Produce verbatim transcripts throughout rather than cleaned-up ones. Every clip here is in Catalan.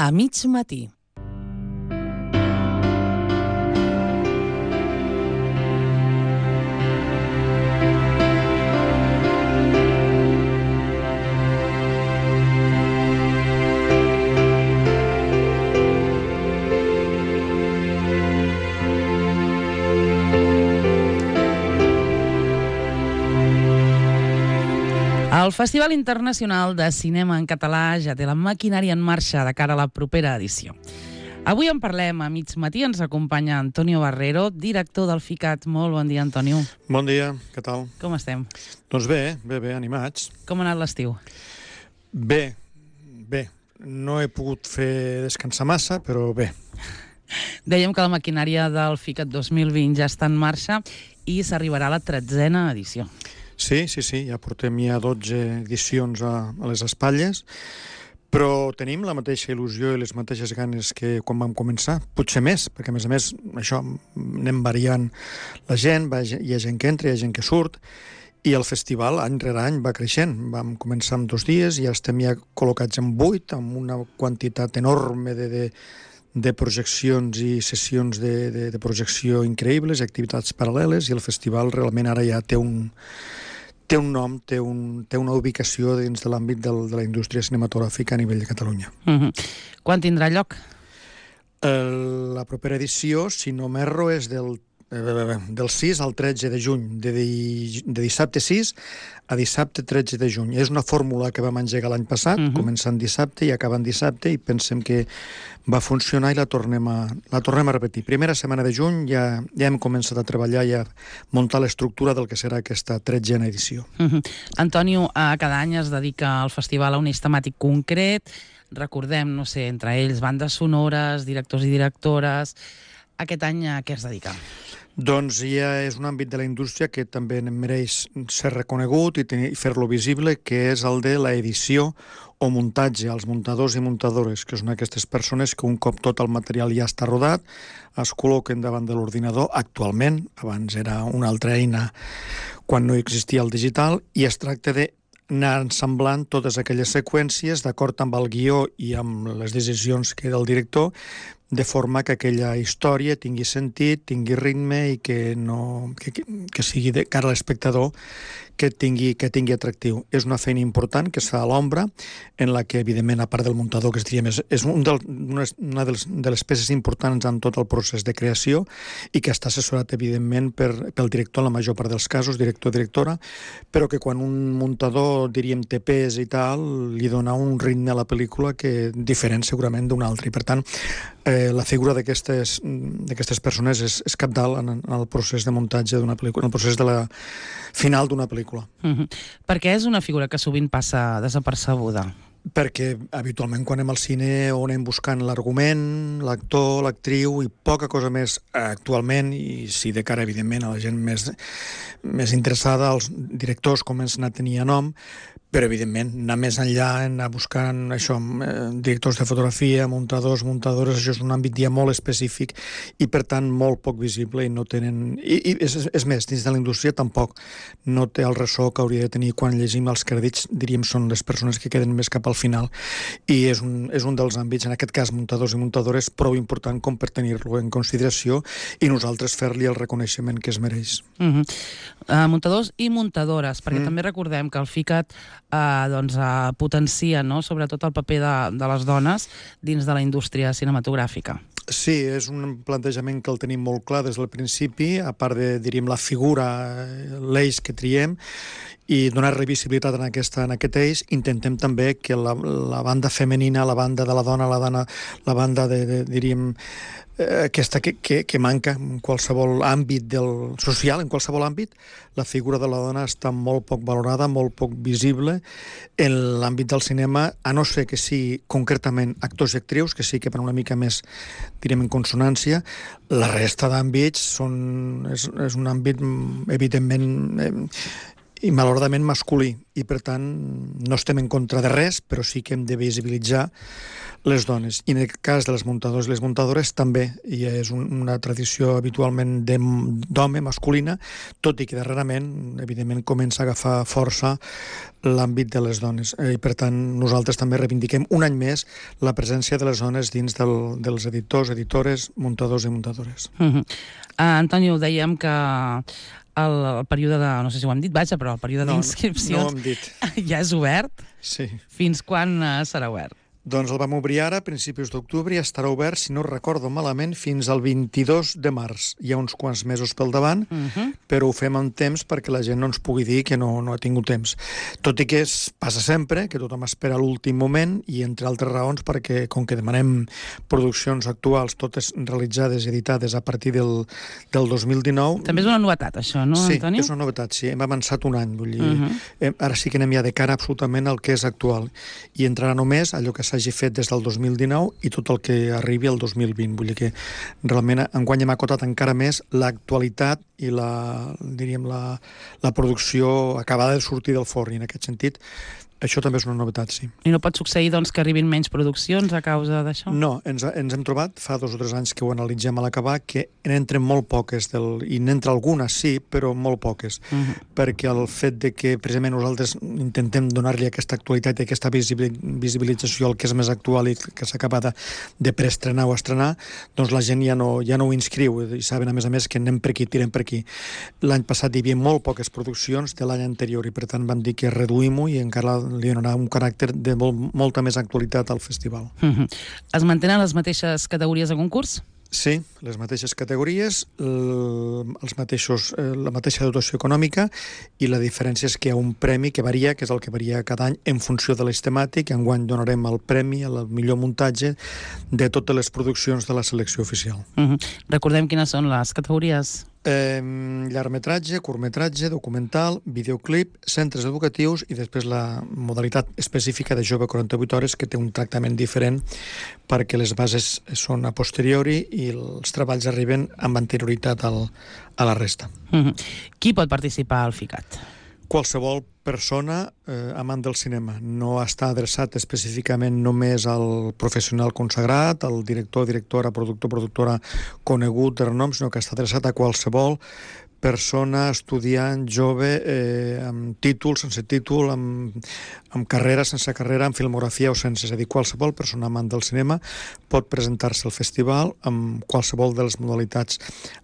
A mig matí. El Festival Internacional de Cinema en Català ja té la maquinària en marxa de cara a la propera edició. Avui en parlem a mig matí, ens acompanya Antonio Barrero, director del FICAT. Molt bon dia, Antonio. Bon dia, què tal? Com estem? Doncs bé, bé, bé, animats. Com ha anat l'estiu? Bé, bé. No he pogut fer descansar massa, però bé. Dèiem que la maquinària del FICAT dos mil vint ja està en marxa i s'arribarà a la tretzena edició. Sí, sí, sí, ja portem ja dotze edicions a, a les espatlles, però tenim la mateixa il·lusió i les mateixes ganes que quan vam començar, potser més, perquè a més a més això anem variant la gent, va, hi ha gent que entra, hi ha gent que surt, i el festival any rere any va creixent. Vam començar amb dos dies i ja estem ja col·locats en vuit, amb una quantitat enorme de, de, de projeccions i sessions de, de, de projecció increïbles, activitats paral·leles, i el festival realment ara ja té un... té un nom, té, un, té una ubicació dins de l'àmbit del, de la indústria cinematogràfica a nivell de Catalunya. Mm-hmm. Quan tindrà lloc? El, la propera edició, si no m'erro, és del, eh, del sis al tretze de juny, de, de, de dissabte sis a dissabte tretze de juny. És una fórmula que vam engegar l'any passat, mm-hmm. començant dissabte i acabant dissabte, i pensem que va funcionar i la tornem a, la tornem a repetir. Primera setmana de juny ja, ja hem començat a treballar i a muntar l'estructura del que serà aquesta tretzena edició. Mm-hmm. Antonio, cada any es dedica al festival a un eix temàtic concret. Recordem, no sé, entre ells bandes sonores, directors i directores. Aquest any a què es dedica? Doncs ja és un àmbit de la indústria que també mereix ser reconegut i, tenir, i fer-lo visible, que és el de l'edició o muntatge, els muntadors i muntadores, que són aquestes persones que un cop tot el material ja està rodat, es col·loquen davant de l'ordinador actualment, abans era una altra eina quan no existia el digital, i es tracta de anar ensamblant totes aquelles seqüències d'acord amb el guió i amb les decisions que del director, de forma que aquella història tingui sentit, tingui ritme i que, no, que, que sigui de cara a l'espectador que tingui, que tingui atractiu. És una feina important que es fa a l'ombra, en la que, evidentment, a part del muntador, que es diria més, és un del, una, una de, les, de les peces importants en tot el procés de creació i que està assessorat, evidentment, per, pel director, en la major part dels casos, director-directora, però que quan un muntador, diríem, té pes i tal, li dona un ritme a la pel·lícula que diferent segurament d'un altre. I, per tant, eh, la figura d'aquestes d'aquestes persones és, és cabdal en, en el procés de muntatge d'una pel·lícula, en el procés de la final d'una pel·lícula. Mm-hmm. Perquè és una figura que sovint passa desapercebuda. Perquè habitualment quan anem al cine o anem buscant l'argument, l'actor, l'actriu i poca cosa més actualment, i si de cara, evidentment, a la gent més, més interessada, els directors comencen a tenir nom, però, evidentment, anar més enllà, anar buscant això, eh, directors de fotografia, muntadors, muntadores, això és un àmbit ja molt específic i, per tant, molt poc visible i no tenen... I, i és, és més, dins de la indústria tampoc no té el ressò que hauria de tenir quan llegim els crèdits, diríem, són les persones que queden més cap al final, i és un, és un dels àmbits, en aquest cas, muntadors i muntadores, prou important com per tenir-lo en consideració i nosaltres fer-li el reconeixement que es mereix. Mm-hmm. uh, muntadors i muntadores, perquè mm. també recordem que el FICAT Uh, doncs, uh, potencia, no?, sobretot el paper de, de les dones dins de la indústria cinematogràfica. Sí, és un plantejament que el tenim molt clar des del principi, a part de, diríem, la figura, l'eix que triem, i donar revisibilitat en, aquesta, en aquest eix, intentem també que la, la banda femenina, la banda de la dona, la, dona, la banda de, de diríem, eh, aquesta que, que, que manca en qualsevol àmbit del social, en qualsevol àmbit, la figura de la dona està molt poc valorada, molt poc visible en l'àmbit del cinema, a no ser que sigui concretament actors i actrius, que sí que per una mica més, direm, en consonància. La resta d'àmbits són, és, és un àmbit, evidentment, eh, i malauradament masculí, i per tant no estem en contra de res, però sí que hem de visibilitzar les dones. I en el cas de les muntadors i les muntadores també i és un, una tradició habitualment d'home, masculina, tot i que darrerament, evidentment, comença a agafar força l'àmbit de les dones. I per tant, nosaltres també reivindiquem un any més la presència de les dones dins del, dels editors, editores, muntadors i muntadores. Uh-huh. uh, Antonio, dèiem que el, el període de, no sé si ho hem dit, vaja, però el període no, d'inscripcions no ho hem dit. Ja és obert? Sí. Fins quan uh, serà obert? Doncs el vam obrir ara, a principis d'octubre, i estarà obert, si no recordo malament, fins al vint-i-dos de març. Hi ha uns quants mesos pel davant, uh-huh. però ho fem amb temps perquè la gent no ens pugui dir que no, no ha tingut temps. Tot i que es passa sempre, que tothom espera l'últim moment, i entre altres raons perquè, com que demanem produccions actuals, totes realitzades i editades a partir del, del dos mil dinou... També és una novetat, això, no, sí, Antonio? Sí, és una novetat, sí. Hem avançat un any, vull dir... Uh-huh. Ara sí que anem ja de cara absolutament al que és actual. I entrarà només allò que s'hagi fet des del dos mil dinou i tot el que arribi al dos mil vint. Vull dir que realment enguany hem acotat encara més l'actualitat i la, diríem, la, la producció acabada de sortir del forn. I en aquest sentit, això també és una novetat, sí. I no pot succeir, doncs, que arribin menys produccions a causa d'això? No, ens, ens hem trobat, fa dos o tres anys que ho analitzem a l'acabar, que n'entren molt poques, del, i n'entra algunes, sí, però molt poques, uh-huh. perquè el fet de que precisament nosaltres intentem donar-li aquesta actualitat i aquesta visibilització al que és més actual i que s'acaba de, de preestrenar o estrenar, doncs la gent ja no, ja no ho inscriu, i saben, a més a més, que anem per aquí, tirem per aquí. L'any passat hi havia molt poques produccions de l'any anterior, i per tant vam dir que reduïm-ho i encara li donarà un caràcter de molt, molta més actualitat al festival. Uh-huh. Es mantenen les mateixes categories de concurs? Sí, les mateixes categories, els mateixos, la mateixa dotació econòmica, i la diferència és que hi ha un premi que varia, que és el que varia cada any en funció de l'eix temàtic. Enguany donarem el premi al millor muntatge de totes les produccions de la selecció oficial. Uh-huh. Recordem quines són les categories. Eh, llargmetratge, curtmetratge, documental, videoclip, centres educatius i després la modalitat específica de jove quaranta-vuit hores, que té un tractament diferent perquè les bases són a posteriori i els treballs arriben amb anterioritat al, a la resta. Mm-hmm. Qui pot participar al FICAT? Qualsevol persona eh, amant del cinema. No està adreçat específicament només al professional consagrat, al director, directora, productor, productora conegut de renom, sinó que està adreçat a qualsevol persona, estudiant, jove, eh, amb títol, sense títol, amb, amb carrera, sense carrera, amb filmografia o sense. És a dir, qualsevol persona amant del cinema pot presentar-se al festival amb qualsevol de les modalitats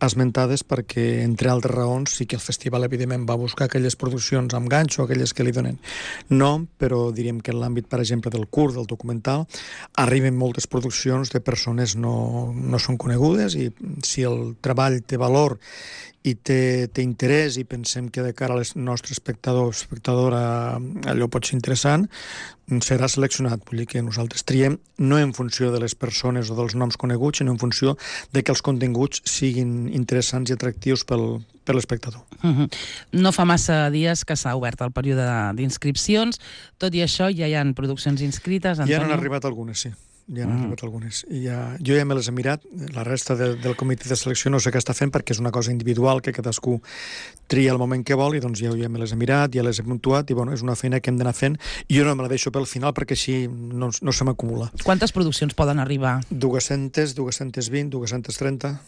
esmentades, perquè, entre altres raons, sí que el festival, evidentment, va buscar aquelles produccions amb ganxo, aquelles que li donen nom, però diríem que en l'àmbit, per exemple, del curt, del documental, arriben moltes produccions de persones no, no són conegudes, i si el treball té valor i té, té interès i pensem que de cara al nostre espectador o espectadora allò pot ser interessant, serà seleccionat. Vull dir que nosaltres triem no en funció de les persones o dels noms coneguts, sinó en funció de que els continguts siguin interessants i atractius pel, per l'espectador. Uh-huh. No fa massa dies que s'ha obert el període d'inscripcions. Tot i això, ja hi ha produccions inscrites, Antonio? Ja n'han arribat algunes, sí. Ja n'han mm. arribat algunes. I ja, jo ja me les he mirat. La resta de, del comitè de selecció no sé què està fent, perquè és una cosa individual que cadascú tria el moment que vol, i doncs ja, ja me les he mirat, ja les he puntuat, i bueno, és una feina que hem d'anar fent. I jo no me la deixo pel final perquè així no, no se m'acumula. Quantes produccions poden arribar? dues-centes, dues-centes vint, dues-centes trenta...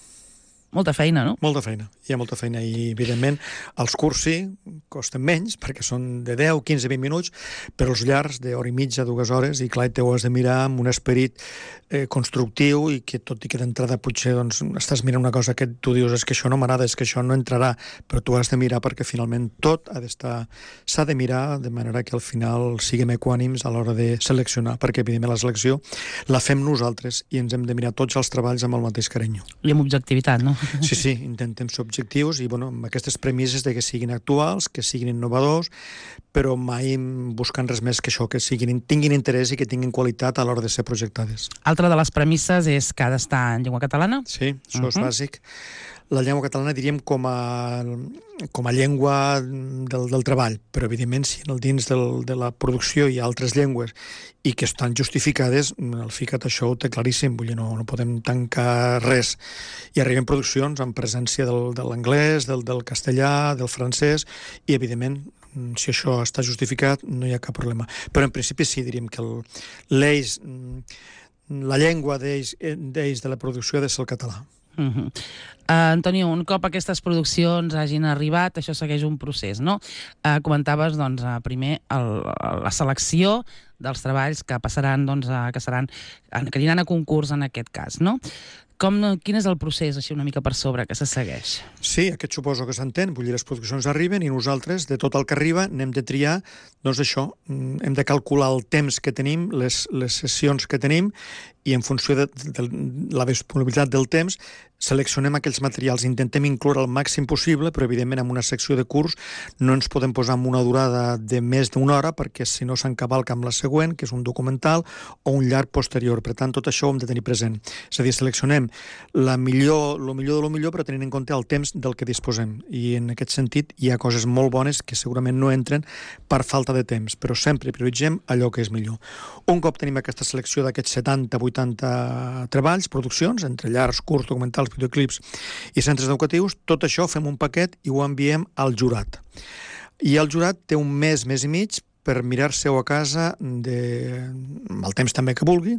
Molta feina, no? Molta feina, hi ha molta feina, i evidentment els curts sí, costen menys, perquè són de deu, quinze, vint minuts, però els llargs d'hora i mitja, dues hores, i clar, te ho has de mirar amb un esperit eh, constructiu, i que tot i que d'entrada potser doncs, estàs mirant una cosa que tu dius és que això no m'agrada, és que això no entrarà, però tu has de mirar perquè finalment tot ha d'estar, s'ha de mirar de manera que al final siguem equànims a l'hora de seleccionar, perquè evidentment la selecció la fem nosaltres i ens hem de mirar tots els treballs amb el mateix carinyo. I amb objectivitat, no? Sí, sí, intentem ser objectius i bueno, amb aquestes premisses de que siguin actuals, que siguin innovadors, però mai buscant res més que això, que siguin, tinguin interès i que tinguin qualitat a l'hora de ser projectades. Altra de les premisses és que ha d'estar en llengua catalana? Sí, això uh-huh. és bàsic. la llengua catalana, diríem, com a, com a llengua del, del treball, però evidentment si en el dins del, de la producció hi ha altres llengües i que estan justificades, el FICAT això ho té claríssim, vull dir, no, no podem tancar res. I arriben produccions amb presència del, de l'anglès, del, del castellà, del francès, i evidentment si això està justificat no hi ha cap problema. Però en principi sí, diríem que el, l'eix, la llengua d'eix, d'eix de la producció ha de ser el català. Uh-huh. Uh, Antonio, un cop aquestes produccions hagin arribat, això segueix un procés, no? Uh, comentaves, doncs, uh, primer el, la selecció dels treballs que passaran, doncs, uh, que seran, que aniran a concurs en aquest cas, no? Com, quin és el procés, així una mica per sobre, que se segueix? Sí, aquest suposo que s'entén. Vull dir, les produccions arriben i nosaltres, de tot el que arriba, n'hem de triar, doncs això, hem de calcular el temps que tenim, les, les sessions que tenim, i en funció de, de, de la disponibilitat del temps, seleccionem aquells materials, intentem incloure el màxim possible, però evidentment en una secció de curs no ens podem posar amb una durada de més d'una hora, perquè si no s'encavalca amb la següent, que és un documental o un llarg posterior. Per tant, tot això ho hem de tenir present. És a dir, seleccionem la millor, lo millor de lo millor, però tenint en compte el temps del que disposem. I en aquest sentit hi ha coses molt bones que segurament no entren per falta de temps, però sempre prioritzem allò que és millor. Un cop tenim aquesta selecció d'aquests setanta vuitanta treballs, produccions, entre llargs, curts, documentals, videoclips i centres educatius, tot això fem un paquet i ho enviem al jurat. I el jurat té un mes, mes i mig per mirar-se-ho a casa de... amb el temps també que vulgui,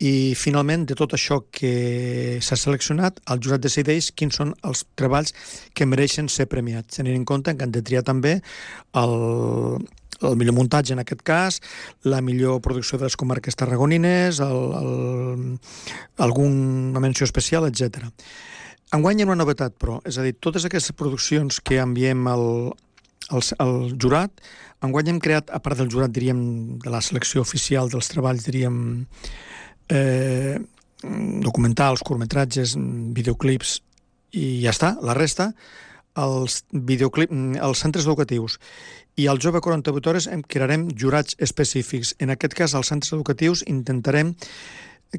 i finalment de tot això que s'ha seleccionat, el jurat decideix quins són els treballs que mereixen ser premiats, tenint en compte que han de triar també el... el millor muntatge en aquest cas, la millor producció de les comarques tarragonines, el, el, alguna menció especial, etcètera. Enguany hi ha una novetat, però, és a dir, totes aquestes produccions que enviem al, al, al jurat, enguany hem creat, a part del jurat, diríem, de la selecció oficial dels treballs, diríem, eh, documentals, curtmetratges, videoclips, i ja està, la resta, els, videoclip, els centres educatius i al Jove quaranta-vuit hores en crearem jurats específics. En aquest cas, als centres educatius intentarem,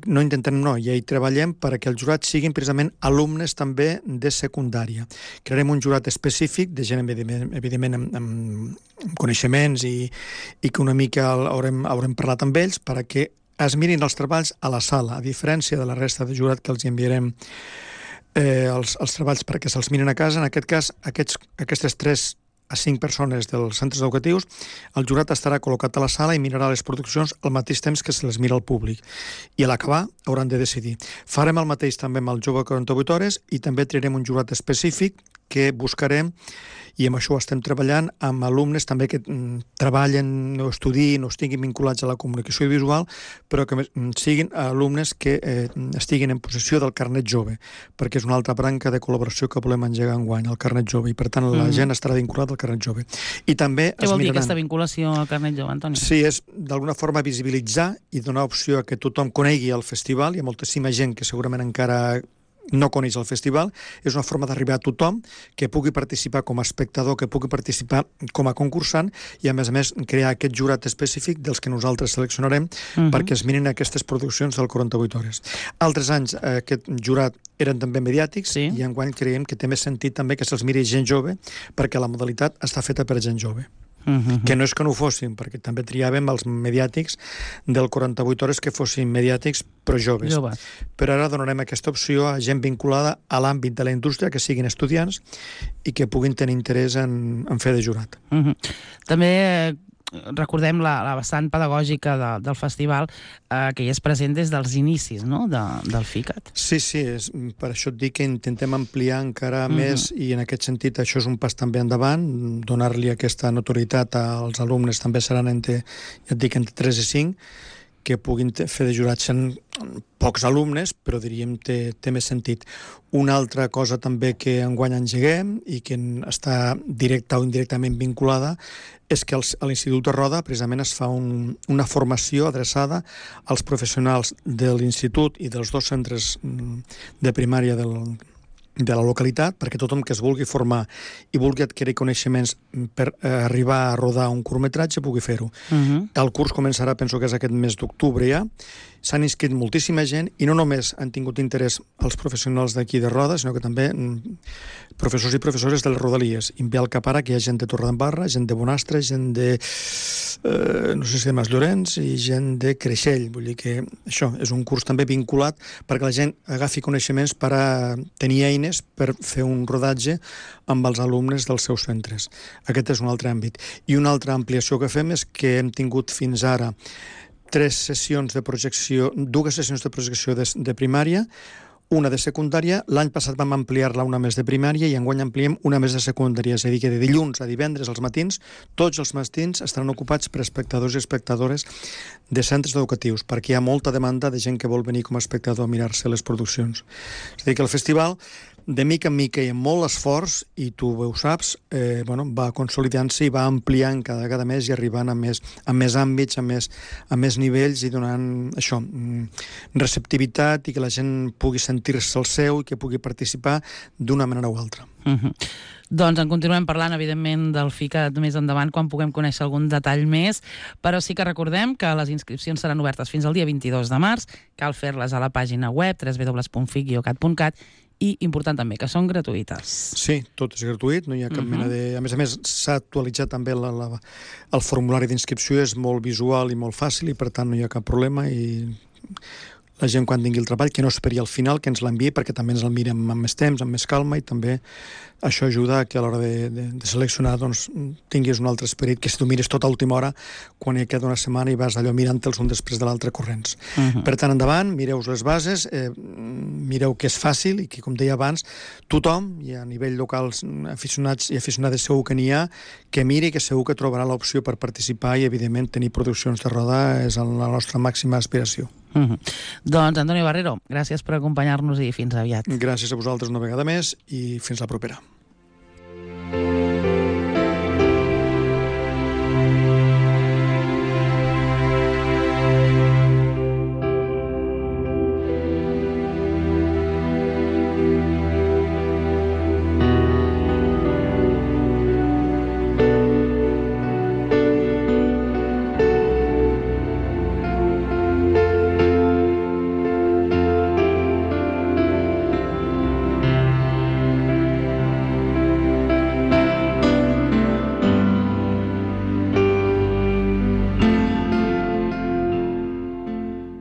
no intentarem, no, ja hi treballem perquè els jurats siguin precisament alumnes també de secundària. Crearem un jurat específic de gent, evidentment, evidentment amb, amb coneixements i, i que una mica haurem, haurem parlat amb ells perquè es mirin els treballs a la sala, a diferència de la resta de jurat que els enviarem eh, els, els treballs perquè se'ls miren a casa. En aquest cas, aquests, aquestes tres a cinc persones dels centres educatius, el jurat estarà col·locat a la sala i mirarà les produccions al mateix temps que se les mira al públic. I a l'acabar hauran de decidir. Farem el mateix també amb el Jove quaranta-vuit hores i també triarem un jurat específic que buscarem, i amb això estem treballant, amb alumnes també que mm, treballen o estudien o estiguin vinculats a la comunicació visual, però que siguin alumnes que eh, estiguin en possessió del carnet jove, perquè és una altra branca de col·laboració que volem engegar enguany, el carnet jove, i per tant la mm. gent estarà vinculada al carnet jove. I també Què es vol dir miraran... aquesta vinculació al carnet jove, Antoni? Sí, és d'alguna forma visibilitzar i donar opció a que tothom conegui el festival. Hi ha moltíssima gent que segurament encara no coneix el festival, és una forma d'arribar a tothom que pugui participar com a espectador, que pugui participar com a concursant i, a més a més, crear aquest jurat específic dels que nosaltres seleccionarem uh-huh. perquè es mirin aquestes produccions del quaranta-vuit hores. Altres anys eh, aquest jurat eren també mediàtics sí. i enguany creiem que té més sentit també que se'ls miri gent jove perquè la modalitat està feta per gent jove. Uh-huh. Que no és que no ho fossin, perquè també triàvem els mediàtics del quaranta-vuit hores que fossin mediàtics però joves. Jove. Però ara donarem aquesta opció a gent vinculada a l'àmbit de la indústria, que siguin estudiants i que puguin tenir interès en, en fer de jurat. Uh-huh. També recordem la, la vessant pedagògica de, del festival eh, que hi és present des dels inicis, no?, de, del FICAT. Sí, sí, és, per això et dic que intentem ampliar encara mm-hmm. més i en aquest sentit això és un pas també endavant, donar-li aquesta notorietat als alumnes també seran entre, ja et dic, entre tres i cinc, que puguin fer de jurats. Són pocs alumnes, però diríem té, té més sentit. Una altra cosa també que enguany engeguem i que està directa o indirectament vinculada és que a l'Institut de Roda precisament es fa un, una formació adreçada als professionals de l'Institut i dels dos centres de primària del de la localitat, perquè tothom que es vulgui formar i vulgui adquirir coneixements per eh, arribar a rodar un curtmetratge pugui fer-ho. Uh-huh. El curs començarà, penso que és aquest mes d'octubre ja, s'han inscrit moltíssima gent i no només han tingut interès els professionals d'aquí de Roda, sinó que també professors i professores de les Rodalies. I em ve al cap ara que hi ha gent de Torredembarra, gent de Bonastre, gent de, eh, no sé si de Masllorenç i gent de Creixell. Vull dir que això és un curs també vinculat perquè la gent agafi coneixements per a tenir eines per fer un rodatge amb els alumnes dels seus centres. Aquest és un altre àmbit. I una altra ampliació que fem és que hem tingut fins ara tres sessions de projecció, dues sessions de projecció de, de primària, una de secundària. L'any passat vam ampliar-la una més de primària i enguany ampliem una més de secundària. És a dir, que de dilluns a divendres als matins, tots els matins estaran ocupats per espectadors i espectadores de centres educatius, perquè hi ha molta demanda de gent que vol venir com a espectador a mirar-se les produccions. És a dir, que el festival, de mica en mica i amb molt esforç, i tu ho saps, eh, bueno, va consolidant-se i va ampliant cada vegada més i arribant a més, a més àmbits, a més, a més nivells i donant això, receptivitat i que la gent pugui sentir-se el seu i que pugui participar d'una manera o altra. Uh-huh. Doncs en continuem parlant, evidentment, del FICAT més endavant, quan puguem conèixer algun detall més, però sí que recordem que les inscripcions seran obertes fins al dia vint-i-dos de març, cal fer-les a la pàgina web w w w punt fic guió cat punt cat i, important també, que són gratuïtes. Sí, tot és gratuït, no hi ha cap uh-huh. mena de... A més a més, s'ha actualitzat també la, la, el formulari d'inscripció, és molt visual i molt fàcil i per tant no hi ha cap problema i la gent quan tingui el treball que no esperi al final, que ens l'enviï perquè també ens el mirem amb més temps, amb més calma i també això ajuda a que a l'hora de, de, de seleccionar doncs, tinguis un altre esperit, que si tu mires tot a última hora quan hi queda una setmana i vas allò mirant-te'ls un després de l'altre corrents. Uh-huh. Per tant, endavant, mireu les bases, eh, mireu que és fàcil i que, com deia abans, tothom, i a nivell local aficionats i aficionades segur que n'hi ha, que miri que segur que trobarà l'opció per participar i, evidentment, tenir produccions de roda és la nostra màxima aspiració. Uh-huh. Doncs, Antonio Barrero, gràcies per acompanyar-nos i fins aviat. Gràcies a vosaltres una vegada més i fins la propera.